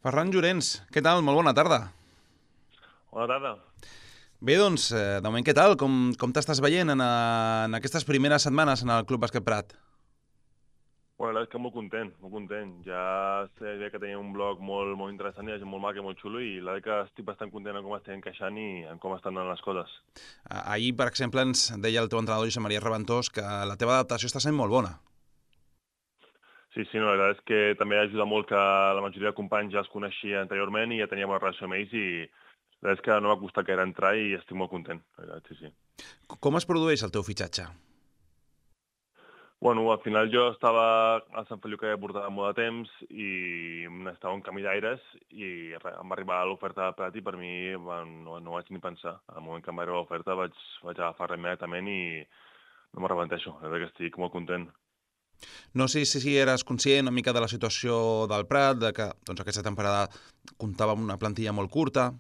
Ferran Llorens, què tal? Molt bona tarda. Bona tarda. Bé, doncs, de moment què tal? Com t'estàs veient en aquestes primeres setmanes en el Club Bàsquet Prat? Bueno, la veritat és que molt content, molt content. Ja sé que tenia un blog molt interessant i molt maco i molt xulo i la veritat que estic bastant content en com estem encaixant i en com estan anant les coses. Ahir, per exemple, ens deia el teu entrenador Josep Maria Reventós que la teva adaptació està sent molt bona. Sí, no, la veritat és que també ajuda molt que la majoria de companys ja els coneixia anteriorment i ja tenia bona relació amb ells i la veritat és que no m'ha costat gaire entrar i estic molt content, la veritat, sí. Com es produeix el teu fitxatge? Bueno, al final jo estava a Sant Feliu que ja portava molt de temps i estava un camí d'aires i em va arribar l'oferta de Prat i per mi no vaig ni pensar. Al moment que em va arribar l'oferta vaig agafar-la immediatament i no m'arrepenteixo. La veritat que estic molt content. No sé si eres conscient una mica de la situació del Prat, de que doncs, aquesta temporada comptava amb una plantilla molt curta.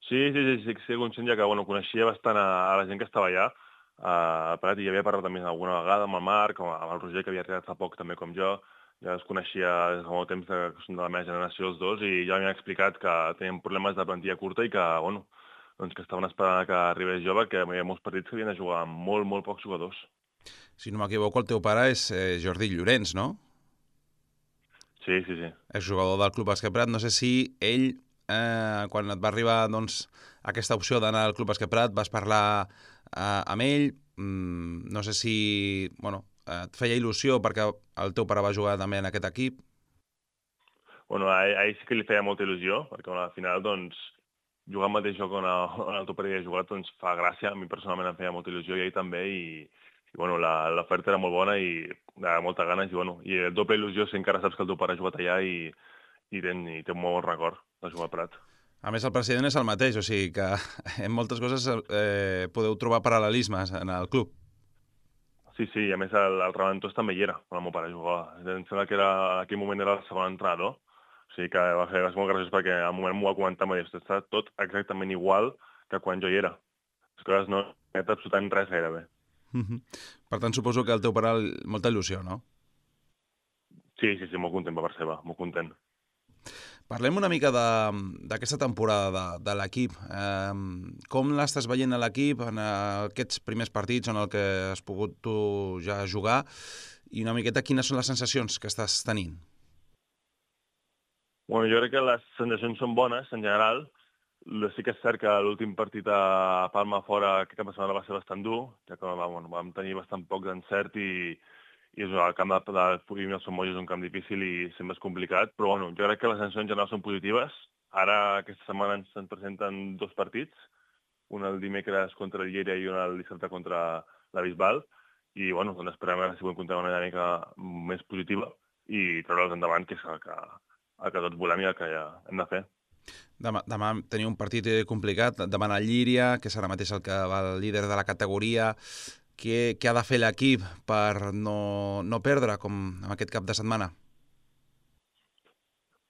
Sí, conscient ja que coneixia bastant a la gent que estava allà a Prat i ja havia parlat també alguna vegada amb el Marc, amb el Roger, que havia arribat fa poc també com jo. Ja els coneixia des de molt temps, que són de la meva generació els dos, i ja m'han explicat que tenien problemes de plantilla curta i que, doncs que estaven esperant que arribés jo, perquè hi havia molts partits que havien de jugar amb molt pocs jugadors. Si no m'equivoco, el teu pare és Jordi Llorens, no? Sí. És jugador del Club Bàsquet Prat. No sé si ell, quan et va arribar doncs, aquesta opció d'anar al Club Bàsquet Prat, vas parlar amb ell. No sé si et feia il·lusió perquè el teu pare va jugar també en aquest equip. A ell sí que li feia molta il·lusió, perquè al final, doncs, jugar al mateix joc on el teu pare havia jugat, doncs, fa gràcia. A mi personalment em feia molta il·lusió i ell també, i l'oferta era molt bona i de moltes ganes, i el doble il·lusió si encara saps que el teu pare ha jugat allà i té un molt bon record de jugar a Prat. A més, el president és el mateix, o sigui que en moltes coses podeu trobar paral·lelismes en el club. Sí, i a més el Reventós també hi era, quan el meu pare jugava. Em sembla que en aquell moment era el segon entrenador, o sigui que va ser molt graciós perquè al moment m'ho va comentar, m'ha dit, està tot exactament igual que quan jo hi era. Les coses no he fet absolutament res gairebé. Per tant, suposo que el teu pare molta il·lusió, no? Sí, molt content per part seva, molt content. Parlem una mica d'aquesta temporada de l'equip. Com l'estàs veient a l'equip en aquests primers partits en el que has pogut tu ja jugar i una miqueta quines són les sensacions que estàs tenint? Jo crec que les sensacions són bones en general. Sí que és cert que l'últim partit a Palma fora aquest cap de setmana va ser bastant dur, ja que vam tenir bastant poc d'encert i el camp de Purim i el Sommoll és un camp difícil i sempre és complicat, però jo crec que les sensacions en general són positives. Ara aquesta setmana ens presenten dos partits, un el dimecres contra el Lleida i un el dissabte contra la Bisbal, i doncs esperem veure si podem comptar una dinàmica més positiva i treure'ls endavant, que és el que tots volem i el que ja hem de fer. Demà teniu un partit complicat davant el Llíria, que és ara mateix el que va el líder de la categoria. Què ha de fer l'equip per no perdre, com en aquest cap de setmana?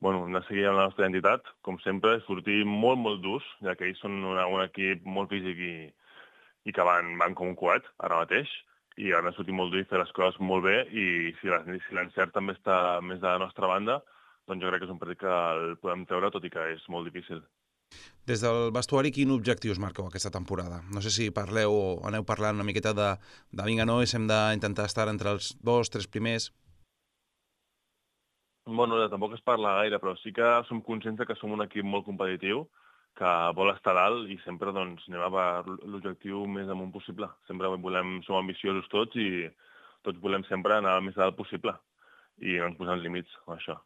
Hem de seguir amb la nostra identitat, com sempre, sortir molt durs, ja que ells són un equip molt físic i que van com un coet ara mateix, i han de sortir molt dur i fer les coses molt bé, i si l'encert també està més de la nostra banda, doncs jo crec que és un partit que el podem treure, tot i que és molt difícil. Des del vestuari, quin objectiu us marqueu aquesta temporada? No sé si parleu o aneu parlant una miqueta de vinga, nois, hem d'intentar estar entre els 2-3 primers. Tampoc es parla gaire, però sí que som conscients que som un equip molt competitiu, que vol estar dalt i sempre doncs, anem a per l'objectiu més amunt possible. Sempre som ambiciosos tots i tots volem sempre anar el més dalt possible i no ens posem límits amb això.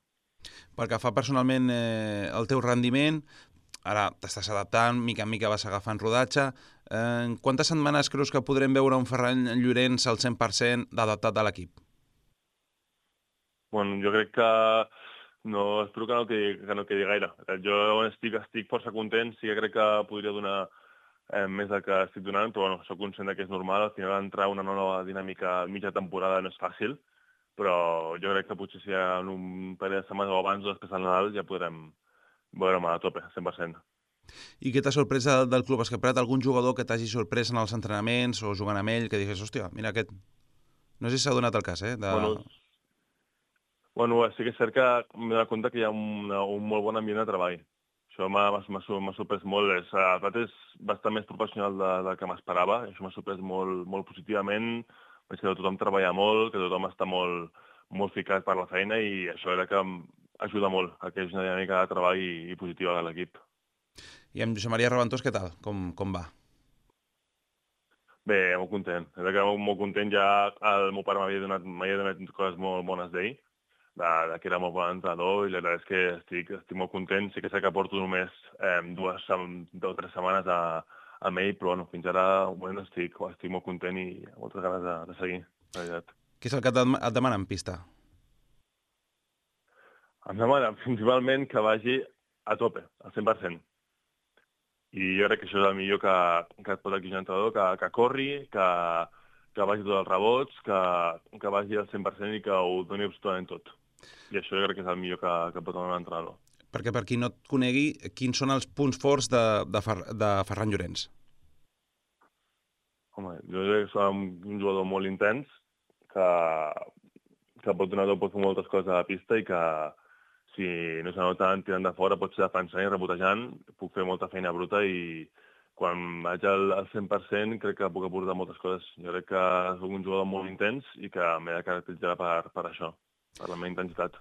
Pel que fa personalment el teu rendiment, ara t'estàs adaptant, mica en mica vas agafant rodatge. En quantes setmanes creus que podrem veure un Ferran Llorens al 100% adaptat a l'equip? Jo crec que espero que no quedi gaire. Jo estic força content, sí que crec que podria donar més del que estic donant, però soc conscient que és normal. Al final entrar una nova dinàmica a mitja temporada no és fàcil, però jo crec que potser si en un parell de setmanes o abans o després del Nadal ja podrem veure'm a tope, 100%. I què t'ha sorprès del Club Bàsquet Prat? Algun jugador que t'hagi sorprès en els entrenaments o jugant amb ell, que digués, hòstia, mira aquest... No sé si s'ha donat el cas, Bueno, sí que és cert que m'he donat compte que hi ha un molt bon ambient de treball. Això m'ha sorprès molt. El plat és bastant més professional del que m'esperava. Això m'ha sorprès molt, molt positivament. Veig que tothom treballa molt, que tothom està molt, molt ficat per la feina i això era que ajuda molt a que hi hagi una dinàmica de treball i positiva de l'equip. I amb Josep Maria Reventós, què tal? Com va? Bé, molt content. És que molt content. Ja el meu pare m'havia donat coses molt bones d'ell, que era molt bon entrenador, i la veritat és que estic molt content. Sí que sé que porto només 2 o 3 setmanes amb ell, però bueno, fins ara bueno, estic molt content i amb moltes ganes de seguir, la veritat. Què és el que et demana en pista? Em demana principalment que vagi a tope, al 100%. I jo crec que això és el millor que et pot exigir un entrenador, que corri, que vagi tots els rebots, que vagi al 100% i que ho doni absolutament tot. I això jo crec que és el millor que pot donar un entrenador. Perquè per qui no et conegui, quins són els punts forts de Ferran Llorens? Home, jo crec que som un jugador molt intens, que pot donar tot, pot fer moltes coses a la pista i que si no se nota tirant de fora pot ser defensant i rebotejant, puc fer molta feina bruta i quan vaig al 100% crec que puc aportar moltes coses. Jo crec que soc un jugador molt intens i que m'he de caracteritzar per això, per la meva intensitat.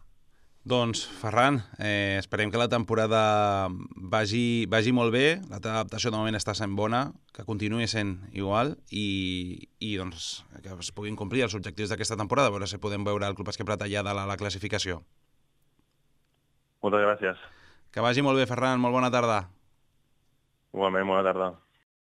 Doncs, Ferran, esperem que la temporada vagi molt bé, la teva adaptació de moment està sent bona, que continuï sent igual i doncs, que es puguin complir els objectius d'aquesta temporada, a veure si podem veure el Club Bàsquet Prat allà de la classificació. Moltes gràcies. Que vagi molt bé, Ferran, molt bona tarda. Igualment, bona tarda.